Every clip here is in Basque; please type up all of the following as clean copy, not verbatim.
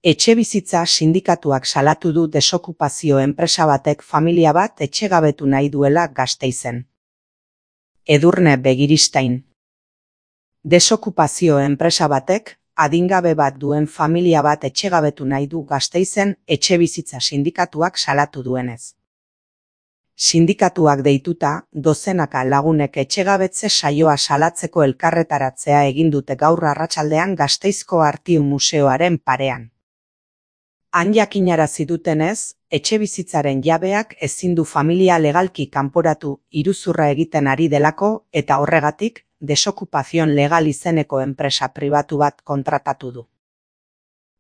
Etxebizitza sindikatuak salatu du desokupazio enpresa batek familia bat etxegabetu nahi duela Gasteizen. Edurne Begiristain. Desokupazio enpresa batek adingabe bat duen familia bat etxegabetu nahi du Gasteizen etxebizitza sindikatuak salatu duenez. Sindikatuak deituta, dozenaka lagunek etxegabetze saioa salatzeko elkarretaratzea egin dute gaur arratsaldean Gasteizko Artiu Museoaren parean. Han jakinarazi dutenez, etxebizitzaren jabeak ezin du familia legalki kanporatu iruzurra egiten ari delako eta horregatik desokupazion legal izeneko enpresa pribatu bat kontratatu du.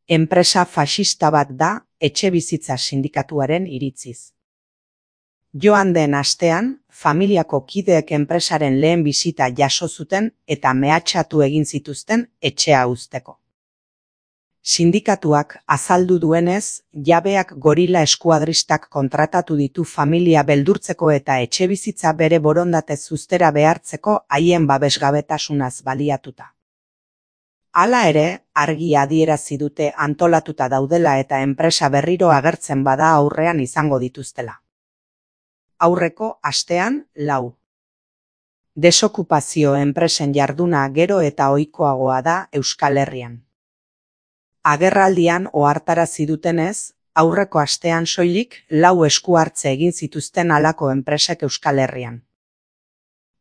Enpresa faxista bat da etxebizitza sindikatuaren iritziz. Joan den astean, familiako kideek enpresaren lehen bisita jaso zuten eta mehatxatu egin zituzten etxea uzteko. Sindikatuak azaldu duenez, jabeak gorila eskuadristak kontratatu ditu familia beldurtzeko eta etxebizitza bere borondatez uztera behartzeko haien babesgabetasunaz baliatuta. Hala ere, argi adierazi dute antolatuta daudela eta enpresa berriro agertzen bada aurrean izango dituztela. Aurreko astean, 4. Desokupazio enpresen jarduna gero eta ohikoagoa da Euskal Herrian. Agerraldian ohartarazi dutenez, aurreko astean soilik 4 esku hartze egin zituzten halako enpresek Euskal Herrian.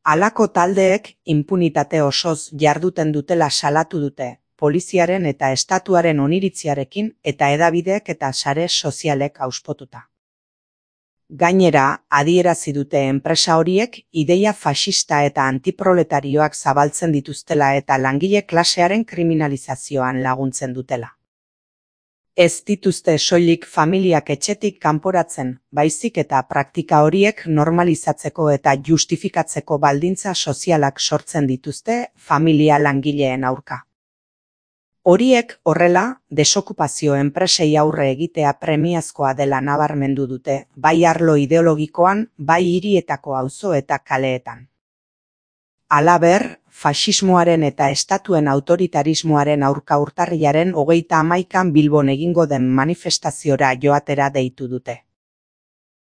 Halako taldeek inpunitate osoz jarduten dutela salatu dute, poliziaren eta estatuaren oniritziarekin eta hedabideek eta sare sozialek hauspotuta. Gainera, adierazi dute enpresa horiek ideia faxista eta antiproletarioak zabaltzen dituztela eta langile klasearen kriminalizazioan laguntzen dutela. Ez dituzte soilik familiak etxetik kanporatzen, baizik eta praktika horiek normalizatzeko eta justifikatzeko baldintza sozialak sortzen dituzte familia langileen aurka. Horiek horrela, desokupazio enpresei aurre egitea premiazkoa dela nabarmendu dute, bai arlo ideologikoan, bai hirietako auzo eta kaleetan. Halaber, faxismoaren eta estatuen autoritarismoaren aurka urtarrilaren 31an Bilbon egingo den manifestaziora joatera deitu dute.